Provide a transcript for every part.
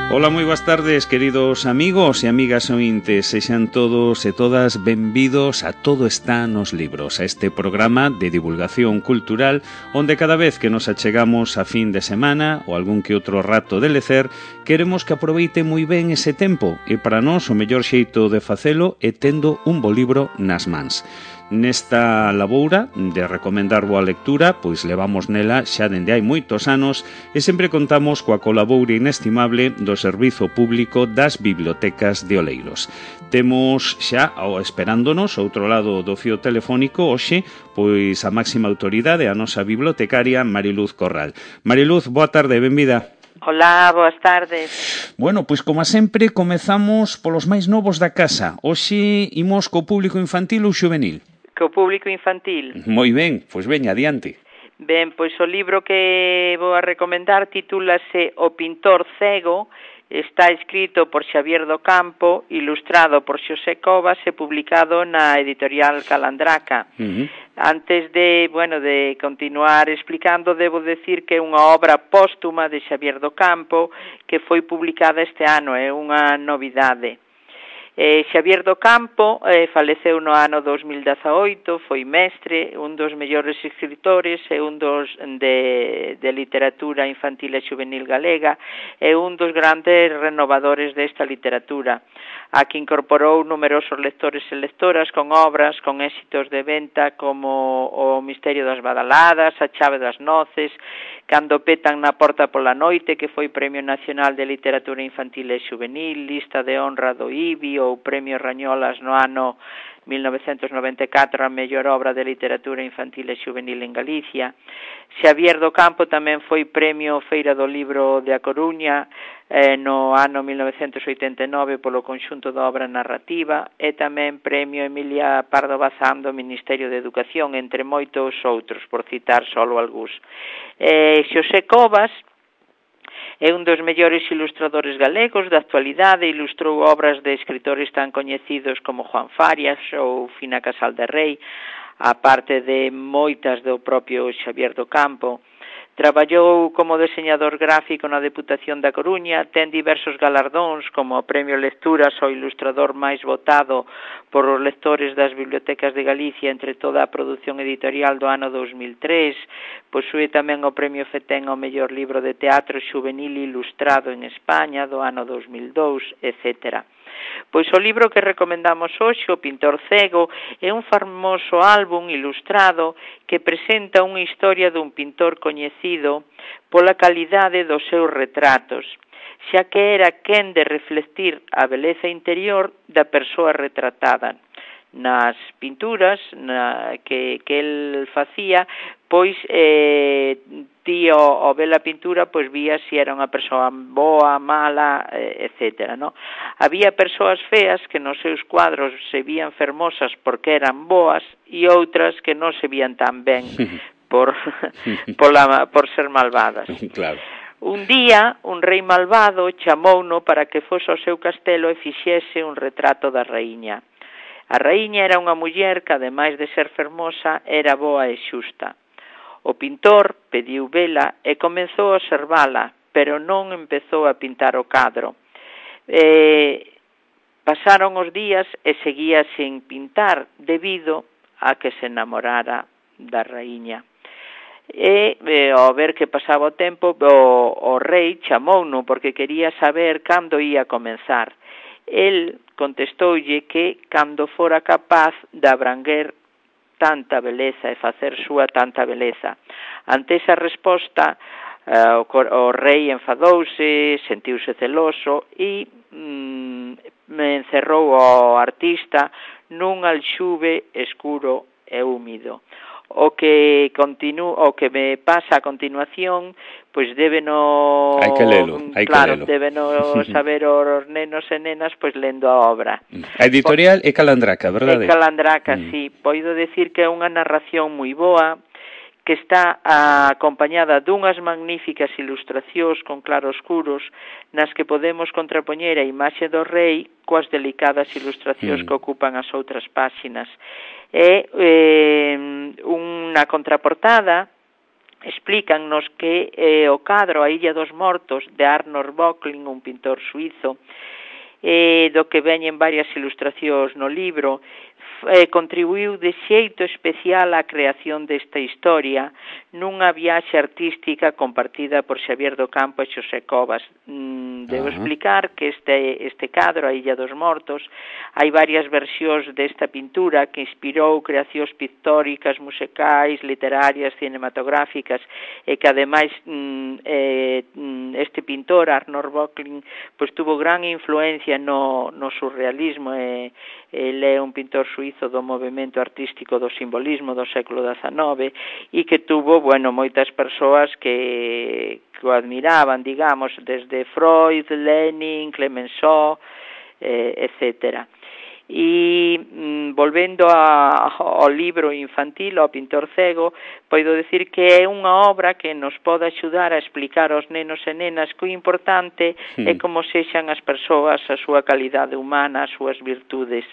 Ola, moi boas tardes, queridos amigos e amigas ointes. Sexan todos e todas benvidos a Todo está nos libros, a este programa de divulgación cultural onde cada vez que nos achegamos a fin de semana ou algún que outro rato de lecer, queremos que aproveite moi ben ese tempo e para nós o mellor xeito de facelo é tendo un bo libro nas mans. Nesta laboura de recomendar boa lectura, pois levamos nela xa dende hai moitos anos e sempre contamos coa colaboura inestimable do Servizo Público das Bibliotecas de Oleiros. Temos xa, esperándonos, ao outro lado do fío telefónico, hoxe, pois a máxima autoridade, a nosa bibliotecaria Mariluz Corral. Mariluz, boa tarde, benvida. Hola, boas tardes. Bueno, pois como sempre, comezamos polos máis novos da casa. Hoxe imos co público infantil ou xuvenil? Co público infantil. Moi ben, pois veña, adiante. Ben, pois o libro que vou a recomendar titúlase O pintor cego, está escrito por Xavier do Campo, ilustrado por Xosé Covas e publicado na editorial Calandraca. Antes de continuar explicando, debo decir que é unha obra póstuma de Xavier do Campo que foi publicada este ano, é unha novidade. Xavier do Campo faleceu no ano 2018, foi mestre, un dos mellores escritores e un dos de literatura infantil e juvenil galega e un dos grandes renovadores desta literatura, a que incorporou numerosos lectores e lectoras con obras con éxitos de venta como O misterio das badaladas, A chave das noces, Cando petan na porta pola noite, que foi Premio Nacional de Literatura Infantil e Juvenil, Lista de honra do IBI ou Premio Rañolas no ano 1994 a mellor obra de literatura infantil e juvenil en Galicia. Xavier do Campo tamén foi Premio Feira do Libro de A Coruña no ano 1989 polo conxunto da obra narrativa e tamén Premio Emilia Pardo Bazán do Ministerio de Educación, entre moitos outros, por citar solo algúns. Xosé Covas é un dos mellores ilustradores galegos da actualidade, ilustrou obras de escritores tan coñecidos como Juan Farias ou Fina Casal de Rei, a parte de moitas do propio Xavier do Campo. Traballou como deseñador gráfico na Deputación da Coruña, ten diversos galardóns como o Premio Lecturas ao ilustrador máis votado por os lectores das bibliotecas de Galicia entre toda a produción editorial do ano 2003, posúe tamén o Premio Fetén ao mellor libro de teatro juvenil ilustrado en España do ano 2002, etc. Pois o libro que recomendamos hoxe, O pintor cego, é un famoso álbum ilustrado que presenta unha historia dun pintor coñecido pola calidade dos seus retratos, xa que era quen de reflectir a beleza interior da persoa retratada. Nas pinturas que el facía, pois ti ao ver a pintura pois vía se era unha persoa boa, mala, etc. No? Había persoas feas que nos seus cuadros se vían fermosas porque eran boas e outras que non se vían tan ben por ser malvadas. Claro. Un día, un rei malvado chamouno para que fose ao seu castelo e fixese un retrato da raíña. A raíña era unha muller que, ademais de ser fermosa, era boa e xusta. O pintor pediu vela e comezou a observala, pero non empezou a pintar o cadro. Pasaron os días e seguía sen pintar debido a que se enamorara da raíña. E ao ver que pasaba o tempo, o rei chamouno porque quería saber cando ia comenzar. El contestoulle que cando fora capaz de abranguer tanta beleza e facer súa tanta beleza. Ante esa resposta, o rei enfadouse, sentiuse celoso e encerrou ao artista nun alxube escuro e húmido. O que me pasa a continuación, pois débeno saber os nenos e nenas pois lendo a obra. A editorial é Calandraca, verdade? É Calandraca, sí. Poido decir que é unha narración moi boa, que está acompañada dunhas magníficas ilustracións con claroscuros nas que podemos contrapoñer a imaxe do rei coas delicadas ilustracións que ocupan as outras páxinas. É unha contraportada explícannos que o cadro A Illa dos Mortos de Arnold Böcklin, un pintor suizo, do que veñen varias ilustracións no libro, contribuiu de xeito especial á creación desta historia nunha viaxe artística compartida por Xavier do Campo e Xosé Covas. Debo explicar que este cadro, A Illa dos Mortos, hai varias versións desta pintura que inspirou creacións pictóricas, musicais, literarias, cinematográficas, e que ademais este pintor, Arnold Böcklin, pois tuvo gran influencia no surrealismo, ele é un pintor suizo do movimento artístico do simbolismo do século XIX e que tuvo, moitas persoas que o admiraban, digamos, desde Freud, Lenin, Clemenceau, etcétera. E volvendo ao libro infantil, ao Pintor Cego, podo decir que é unha obra que nos pode axudar a explicar aos nenos e nenas que o importante é como sexan as persoas, a súa calidade humana, as súas virtudes.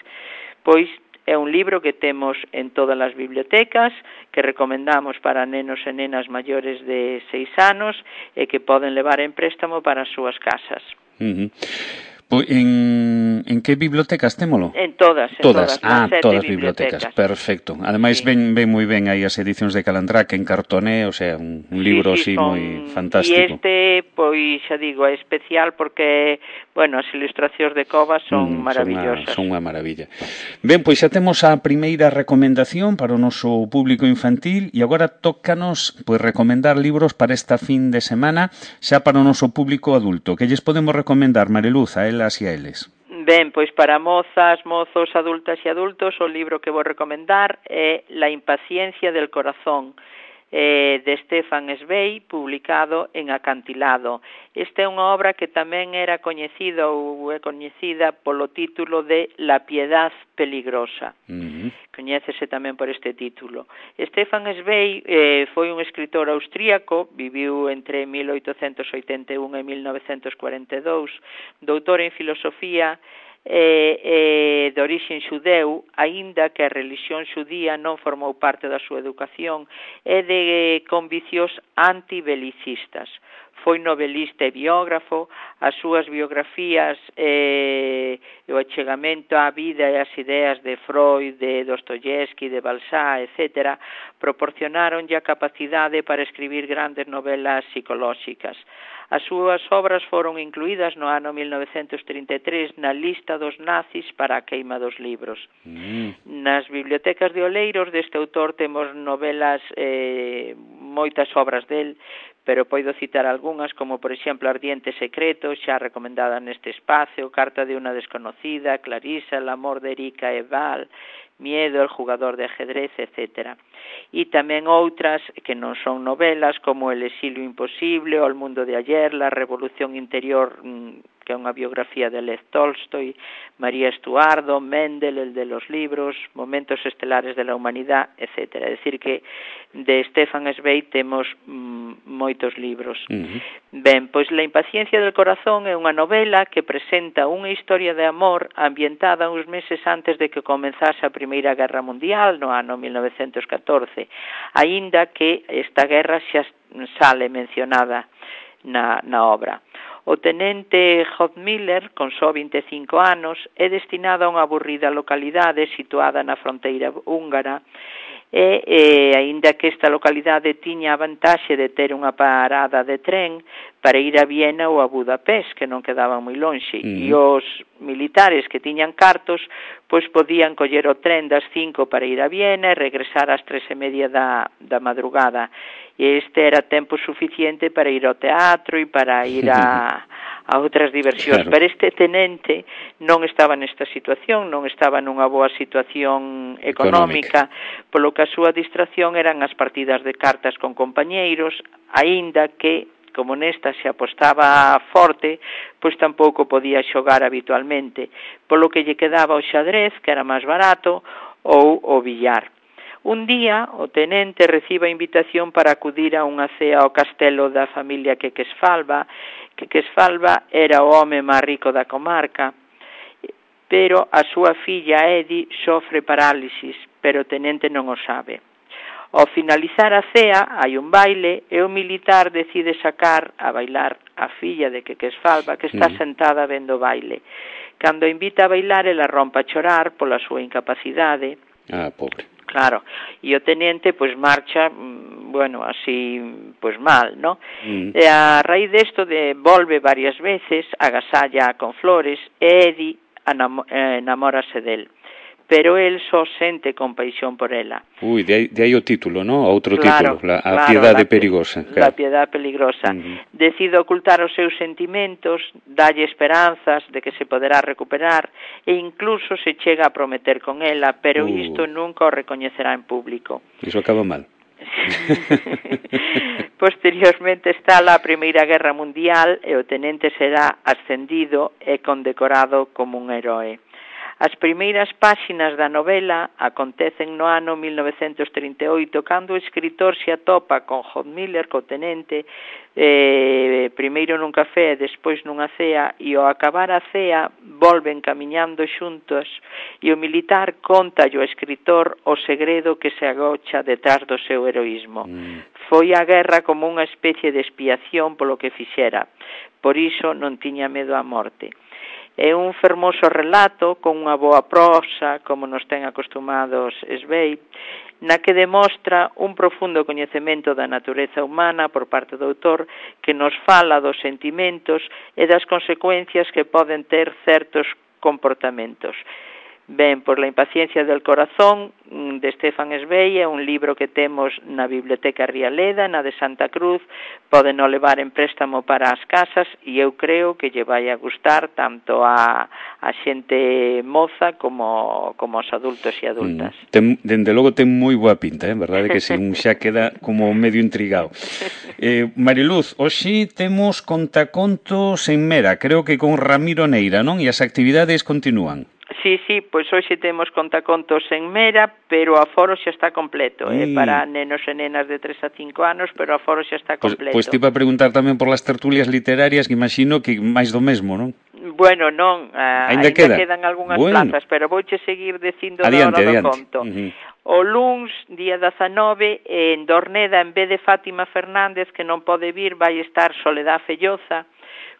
Pois é un libro que temos en todas as bibliotecas, que recomendamos para nenos e nenas maiores de 6 anos e que poden levar en préstamo para as súas casas. En que bibliotecas témolo? En todas. Todas as bibliotecas, perfecto. Ademais, ven moi ben aí as edicións de Calandraque en cartoné, o sea, un libro así moi fantástico. E pois, xa digo, é especial porque, as ilustracións de Covas son maravillosas. Son unha maravilla. Ben, pois xa temos a primeira recomendación para o noso público infantil e agora tócanos recomendar libros para esta fin de semana xa para o noso público adulto. Que lles podemos recomendar, Mariluz, a elas e a eles? Ben, pois para mozas, mozos, adultas e adultos, o libro que vou recomendar é La impaciencia del corazón, de Stefan Zweig, publicado en Acantilado. Esta é unha obra que tamén era coñecida ou é coñecida polo título de La piedad peligrosa. Coñécese tamén por este título. Stefan Zweig foi un escritor austríaco, viviu entre 1881 e 1942, doutor en filosofía de origen xudeu, aínda que a religión xudía non formou parte da súa educación, e de convicios antibelicistas. Foi novelista e biógrafo, as súas biografías e o achegamento á vida e ás ideas de Freud, de Dostoyevsky, de Balzac, etc., proporcionaronlle a capacidade para escribir grandes novelas psicolóxicas. As súas obras foron incluídas no ano 1933 na lista dos nazis para a queima dos libros. Nas bibliotecas de Oleiros deste autor temos novelas, moitas obras del, pero podo citar algunhas como, por exemplo, Ardiente Secreto, xa recomendada neste espacio, Carta de una desconocida, Clarisa, El amor de Erika e Val, Miedo, El jugador de ajedrez, etc. E tamén outras que non son novelas, como El exilio imposible, O el mundo de ayer, La revolución interior, que é unha biografía de Lev Tolstoy, María Estuardo, Mendel, El de los libros, Momentos estelares de la humanidad, etc. É dicir que de Stefan Zweig temos moitos libros. Ben, pois La impaciencia del corazón é unha novela que presenta unha historia de amor ambientada uns meses antes de que comenzase a Primeira Guerra Mundial, no ano 1914, aínda que esta guerra xa sale mencionada na obra. O tenente Hodmiller, con só 25 anos, é destinado a unha aburrida localidade situada na fronteira húngara e aínda que esta localidade tiña a vantaxe de ter unha parada de tren para ir a Viena ou a Budapest, que non quedaban moi lonxe, e os militares que tiñan cartos pois podían coller o tren das 5 para ir a Viena e regresar ás 3:30 da madrugada. E este era tempo suficiente para ir ao teatro e para ir a outras diversións. Pero este tenente non estaba nesta situación, non estaba nunha boa situación económica, polo que a súa distracción eran as partidas de cartas con compañeiros, aínda que, como nesta se apostaba forte, pois tampouco podía xogar habitualmente, polo que lle quedaba o xadrez, que era máis barato, ou o billar. Un día, o tenente recibe a invitación para acudir a unha cea ao castelo da familia Quequesfalva, que Quequesfalva era o home máis rico da comarca, pero a súa filla Edi sofre parálisis, pero o tenente non o sabe. Ao finalizar a cea, hai un baile e o militar decide sacar a bailar a filla de Quequesfalva, que está sentada vendo o baile. Cando a invita a bailar, ela rompe a chorar pola súa incapacidade. Ah, pobre. Claro, e o tenente, pois, marcha, bueno, así, pois, mal, ¿no? E a raíz desto volve varias veces, agasalla con flores, e Eddie enamórase del. Pero él só sente compaixón por ela. Ui, de aí o título, ¿no? Outro claro, título, a piedade perigosa. La piedade peligrosa. Decide ocultar os seus sentimentos, dalle esperanzas de que se poderá recuperar e incluso se chega a prometer con ela, pero isto nunca o recoñecerá en público. Iso acaba mal. Posteriormente está a Primeira Guerra Mundial e o tenente será ascendido e condecorado como un heroe. As primeiras páxinas da novela acontecen no ano 1938, cando o escritor se atopa con Hod Miller, co tenente, primeiro nun café e despois nunha cea, e ao acabar a cea volven camiñando xuntos e o militar contalle ao escritor o segredo que se agocha detrás do seu heroísmo. Foi a guerra como unha especie de expiación polo que fixera, por iso non tiña medo á morte. É un fermoso relato con unha boa prosa, como nos ten acostumados Sveig, na que demostra un profundo coñecemento da natureza humana por parte do autor, que nos fala dos sentimentos e das consecuencias que poden ter certos comportamentos. Ben, por la impaciencia del corazón, de Stefan Zweig, é un libro que temos na Biblioteca Rialeda, na de Santa Cruz, poden o levar en préstamo para as casas e eu creo que lle vai a gustar tanto a xente moza como aos adultos e adultas. Dende logo ten moi boa pinta, verdade que si un xa queda como medio intrigado. Mariluz, hoxe temos contacontos en Mera, creo que con Ramiro Neira, non? E as actividades continúan. Sí, pois hoxe temos contacontos en Mera, pero o aforo xa está completo, para nenos e nenas de 3 a 5 anos, pero o aforo xa está completo. Pois te iba a preguntar tamén por las tertulias literarias, que imagino que máis do mesmo, non? Bueno, non, ainda quedan algunhas plazas, pero vouche seguir dicindo da hora do conto. O luns, día 19, en Dorneda, en vez de Fátima Fernández, que non pode vir, vai estar Soledad Felloza,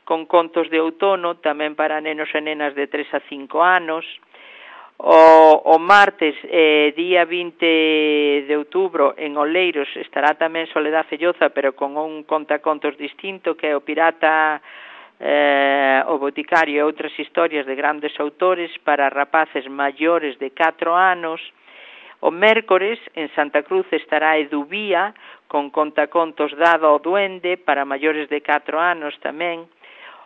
con contos de outono, tamén para nenos e nenas de 3 a 5 anos. O martes, día 20 de outubro, en Oleiros, estará tamén Soledad Felloza, pero con un contacontos distinto, que é o Pirata, o Boticario e outras historias de grandes autores para rapaces maiores de 4 anos. O mércores, en Santa Cruz, estará Eduvía, con contacontos dado ao duende para maiores de 4 anos tamén.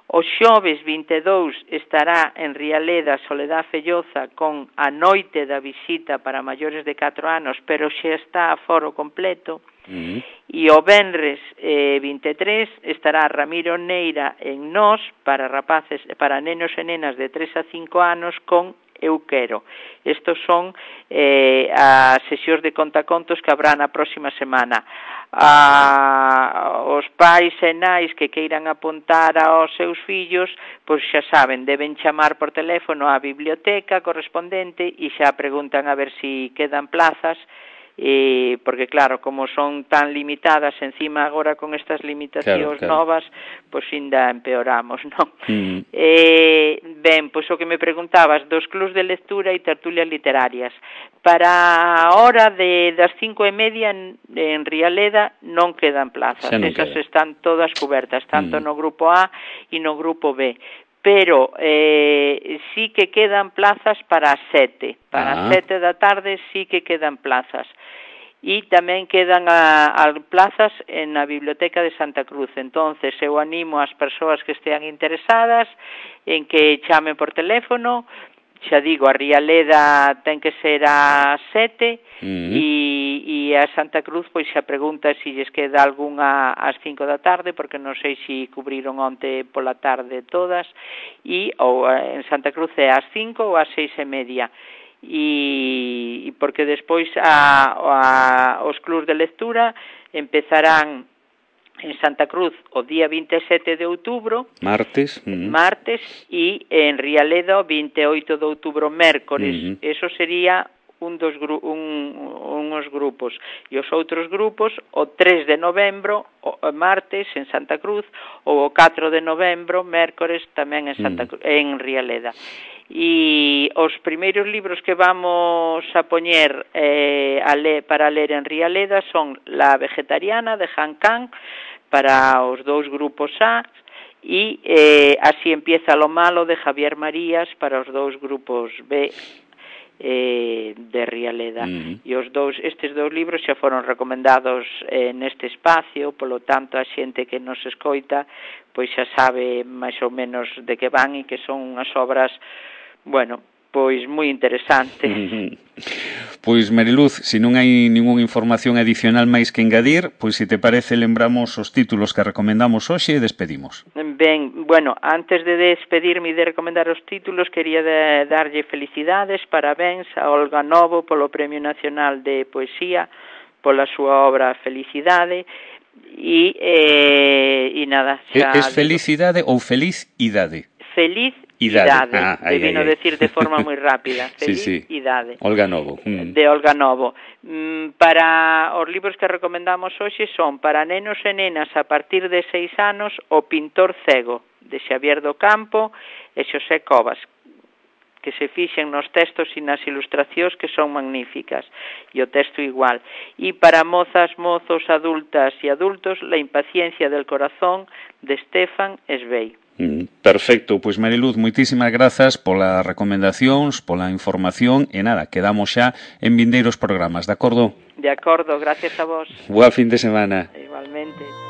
O xoves 22 estará en Rialeda Soledad Felloza con A Noite da Visita para maiores de 4 anos, pero xa está a foro completo. E o venres 23 estará Ramiro Neira en Nós para rapaces, para nenos e nenas de 3 a 5 anos con Eu Quero. Estos son as sesións de contacontos que habrá na próxima semana. Os pais e nais que queiran apuntar aos seus fillos, pois xa saben, deben chamar por teléfono á biblioteca correspondente e xa preguntan a ver si quedan plazas, porque claro, como son tan limitadas encima agora con estas limitacións novas, pois ainda empeoramos, non? Ben, pois o que me preguntabas dos clubs de lectura e tertulias literarias, para a hora das 5:30 en Rialeda non quedan plazas, esas están todas cubertas, tanto no grupo A e no grupo B, pero sí que quedan plazas para as 7, para as 7 da tarde sí que quedan plazas. E tamén quedan as plazas na Biblioteca de Santa Cruz. Entonces, eu animo as persoas que estean interesadas en que chamen por teléfono. Xa digo, a Rialeda ten que ser ás 7 e a Santa Cruz pois xa pregunta se lles queda algunha ás 5 da tarde, porque non sei se cubriron onte pola tarde todas, ou en Santa Cruz é ás 5 ou ás 6:30. E porque despois os clubs de lectura empezarán en Santa Cruz o día 27 de outubro, martes, e en Rialeda o 28 de outubro, mércores. Eso sería unhos grupos e os outros grupos o 3 de novembro, o martes, en Santa Cruz, ou o 4 de novembro, mércores, tamén en Santa Cruz, en Rialeda. E os primeiros libros que vamos a poñer para ler en Rialeda son La vegetariana, de Han Kang, para os dous grupos A, e Así empieza lo malo, de Javier Marías, para os dous grupos B de Rialeda. E estes dous libros xa foron recomendados neste espacio, polo tanto a xente que nos escoita pois xa sabe máis ou menos de que van e que son unhas obras, bueno, pois moi interesantes. Pois, Mariluz, se non hai ningunha información adicional máis que engadir, pois se te parece lembramos os títulos que recomendamos hoxe e despedimos. Ben, bueno, antes de despedirme e de recomendar os títulos, quería darlle felicidades, parabéns a Olga Novo polo Premio Nacional de Poesía, pola súa obra Felicidade, e nada. É felicidade ou feliz idade? Feliz idade, debino decir de forma moi rápida. Feliz idade. Olga Novo. De Olga Novo. Para os libros que recomendamos hoxe son para nenos e nenas a partir de 6 anos O pintor cego, de Xavier do Campo e Xosé Covas, que se fixen nos textos e nas ilustracións, que son magníficas, e o texto igual. E para mozas, mozos, adultas e adultos, La impaciencia del corazón, de Stefan Zweig. Perfecto, pois Mariluz, moitísimas grazas polas recomendacións, pola información e nada, quedamos xa en vindeiros programas, de acordo? De acordo, gracias a vos. Boa fin de semana. Igualmente.